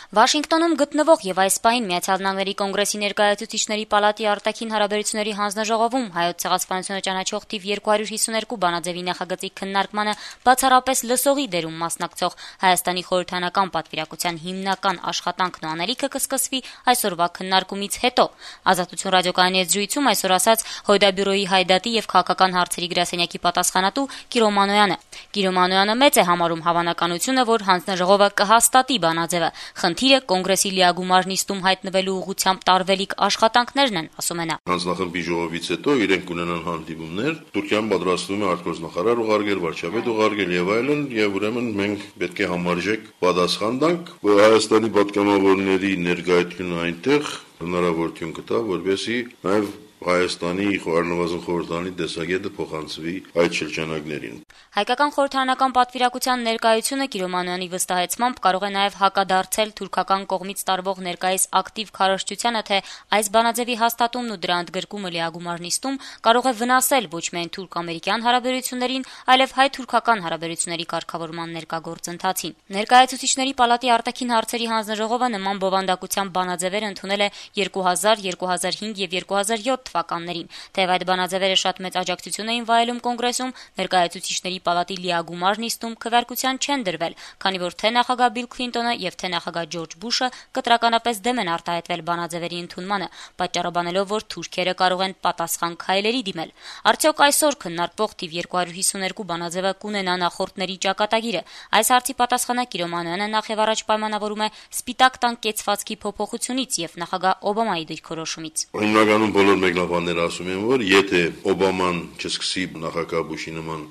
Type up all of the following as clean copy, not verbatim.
Վաշինգտոնում գտնվող եւ այս պահին Միացյալ Նահանգների Կոնգրեսի ներկայացուցիչների պալատի արտաքին հարաբերությունների հանձնաժողովում հայոց ցեղասպանությունը ճանաչող թիվ 252 բանաձևի նախագծի քննարկմանը բացառապես լսողի դերում մասնակցող Հայաստանի խորհրդարանական պատվիրակության հիմնական աշխատանքն ու անելիքը կսկսվի այսօրվա քննարկումից հետո։ Ազատություն ռադիոկայանի հետ զրույցում այսօր ասաց Հոյդա բյուրոյի հայդատի եւ քաղաքական հարցերի գրասենյակի պատասխանատու Կիրո Մանոյանը։ Կիրո Մանոյանը մեծ է համարում հավանականությունը, որ հանձնաժողովը կհաստատի բանաձևը։ Խնդիրը կոնգրեսի լիագումար նիստում հայտնվելու ուղղությամբ տարվելիք աշխատանքներն են, ասում է նա։ Հանձնախմբի ժողովից հետո իրենք կունենան հանդիպումներ, Թուրքիան պատրաստվում է արտգործնախարար ուղարկել, վարչապետ ուղարկել եւ այլն, եւ ուրեմն մենք պետք է համարժեք պատասխան տանք, որ Հայաստանի պատգամավորների ներկայությունը այնտեղ հնարավորություն կտա, որպեսզի նաեւ Հայաստանի առնվազն խորհրդանի տեսակետը փոխանցվի այդ շրջանակներին։ Հայկական խորհրդարանական պատվիրակության ներկայությունը Կիրո Մանոյանի վստահեցմամբ կարող է նաև հակադարձել թուրքական կողմից տարվող ներկայիս ակտիվ քարոզչությանը, թե այս բանաձևի հաստատումն ու դրա ընդգրկումը լիագումար նիստում կարող է վնասել ոչ միայն թուրք-ամերիկյան հարաբերություններին, այլև հայ-թուրքական հարաբերությունների կարգավորման ներկա գործընթացին։ Ներկայացուցիչների պալատի արտաքին հարցերի հանձնաժողովը նման բովանդակության բանաձևեր ընդունել է 2000, 2005 եւ 2007 թվականներին, թեև այդ բանաձևերը շատ մեծ աջակցություն էին վայելում կոնգրեսում, ներկայացուցիչների պալատի լիագումար նիստում քվեարկության չեն դրվել, քանի որ թե նախագահ Բիլ Քլինտոնը եւ թե նախագահ Ջորջ Բուշը կտրականապես դեմ են արտահայտվել բանաձևերի ընդունմանը, պատճառաբանելով, որ թուրքերը կարող են պատասխան քայլերի դիմել։ Արդյոք այսօր քննարկվող թիվ 252 բանաձևը կունենա նախորդների ճակատագիրը։ Այս հարցի պատասխանը Կիրո Մանոյանը նախ եւ առաջ պայմանավորում է Սպիտակ տան կեցվածքի փոփոխությունից եւ նախագահ Օբամայի դիրքորոշումից։ Հիմնականում բոլոր մեկնաբանները ասում են, որ եթե Օբաման չսկսի նախագահ Բուշի նման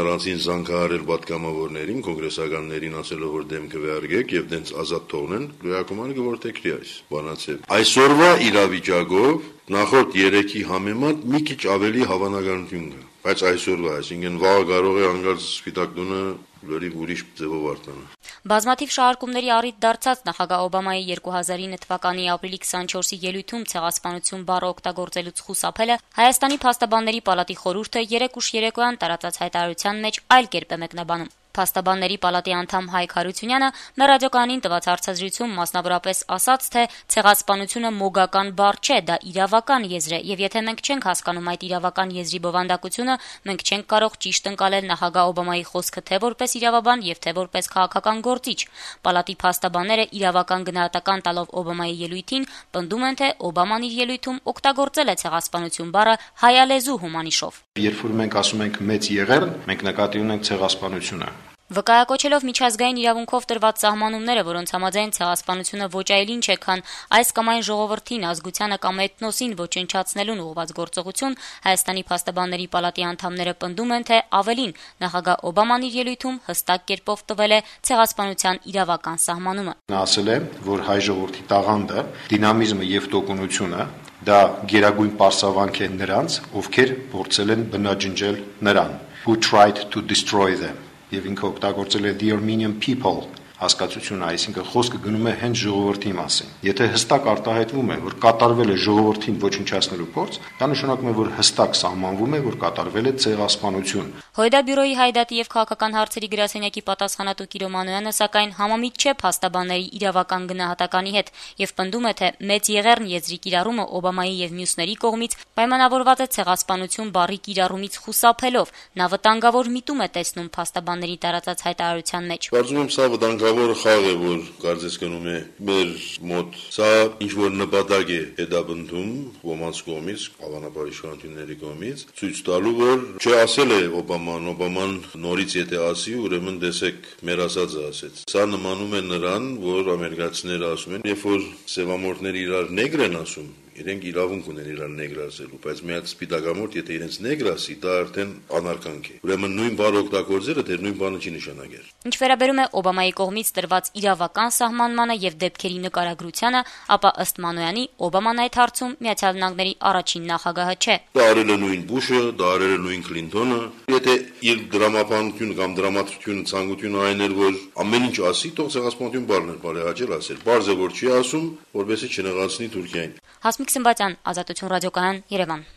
առանձին զանգահարել պատգամավորներին, կոնգրեսականներին ասելով, որ դեմ կվերգեք եւ դենց ազատ թողնեն, լիակումար կորտեքրի այս բանաձև։ Այսօրվա իրավիճակով նախորդ 3-ի համեմատ մի քիչ ավելի հավանականություն կա, բայց այսօրվա, այսինքն վաղը կարող է անգամ Սպիտակ տունը լրիվ ուրիշ ձևով արտանալ։ Բազմաթիվ շահարկումների առիթ դարձած նախագահ Օբամայի 2009 թվականի ապրիլի 24-ի ելույթում ցեղասպանություն բառը օգտագործելուց խուսափելը Հայաստանի փաստաբանների պալատի խորհուրդը 3 ուշ երեկոյան տարածած հայտարարության մեջ այլ կերպ է մեկնաբանում։ Փաստաբանների պալատի անդամ Հայկ Հարությունյանը մեր ռադիոկայանին տված հարցազրույցում մասնավորապես ասաց, թե ցեղասպանությունը մոգական բառ չէ, դա իրավական եզր է, եւ եթե մենք չենք հասկանում այդ իրավական եզրի բովանդակությունը, մենք չենք կարող ճիշտ ընկալել նախագահ Օբամայի խոսքը թե որպես իրավաբան եւ թե որպես քաղաքական գործիչ։ Պալատի փաստաբանները իրավական գնահատական տալով Օբամայի ելույթին պնդում են, թե Օբաման իր ելույթում օգտագործել է ցեղասպանություն բառը հայալեզու հոմանիշով։ Երբ որ մենք ասում ենք մեծ եղեռն, մենք նկատի ունենք ցեղասպանությունը։ Վկայակոչելով միջազգային իրավունքով տրված սահմանումները, որոնց համաձայն ցեղասպանությունը ոչ այլ ինչ է, քան այս կամ այն ժողովրդին, ազգությանը կամ էթնոսին ոչնչացնելուն ուղղված գործողություն, Հայաստանի փաստաբանների պալատի անդամները պնդում են, թե ավելին նախագահ Օբաման իր ելույթում հստակ կերպով տվել է ցեղասպանության իրավական սահմանումը։ Նա ասել է, որ հայ ժողովրդի տաղանդը, դինամիզմը եւ տոկունությունը դա գերագույն պարսավանք է նրանց, ովքեր փորձել են բնաջնջել նրան, who tried to destroy them. Եվ ինքը օգտագործել է the Armenian people հասկացությունը, այսինքն խոսքը գնում է հենց ժողովրդի մասին։ Եթե հստակ արտահայտվում է, որ կատարվել է ժողովրդին ոչնչացնելու փորձ, դա նշանակում է, որ հստակ սահմանվում է, որ կատարվել է ցեղասպանություն։ Հոյդա բյուրոյի հայդատի եւ քաղաքական հարցերի գրասենյակի պատասխանատու Կիրո Մանոյանը սակայն համամիտ չէ փաստաբանների իրավական գնահատականի հետ եւ պնդում է, թե մեծ եղեռն եզրի կիրառումը Օբամայի եւ մյուսների կողմից պայմանավորված է ցեղասպանություն բառի կիրառումից խուսափելով։ Նա վտանգավոր միտում է տեսնում փաստաբանների տարածած հայտարարության մեջ։ Կարծում եմ սա վտանգավոր խաղ է, որ կարծես գնում է մեր մոտ։ Սա ինչ որ նպատակ է հետապնդում ոմանց կողմից, հավանաբար իշխանությունների կողմից, ցույց տալու, որ չասել է Օբաման նորից եթե ասի, ուրեմն տեսեք մեր ասածը ասեց։ Սա նմանում է նրան, որ ամերիկացիները ասում են, երբ որ սևամորթները իրար նեգր են ասում, իրենք իրավունք ունեն իրար նեգր ասելու, բայց մի հատ սպիտակամորթ եթե իրենց նեգր ասի, դա արդեն անարկանք է։ Ուրեմն նույն բառը օգտագործելը դեռ նույն բանը չի նշանակել։ Ինչ վերաբերում է Օբամայի կողմից տրված իրավական սահմանմանը եւ դեպքերի նկարագրությանը, ապա ըստ Մանոյանի Օբաման այդ հարցում Միացյալ Նահանգների առաջին նախագահը չէ։ Դա արել է նույն Բուշը, դա արել է նույն Քլինտոնը։ Եթե իր դրամապանությունը կամ դրամատուրգիությունը ցանկությունը այն էր, որ ամեն ինչ ասի, թող ցեղասպանություն բառներ բարեհաճել ասել։ Բարձ է որ չի ասում, որովհետեւ չնեղացնի Թուրքիային։ Հասմիկ Սմբատյան, Ազատություն ռադիոկայան, Երևան։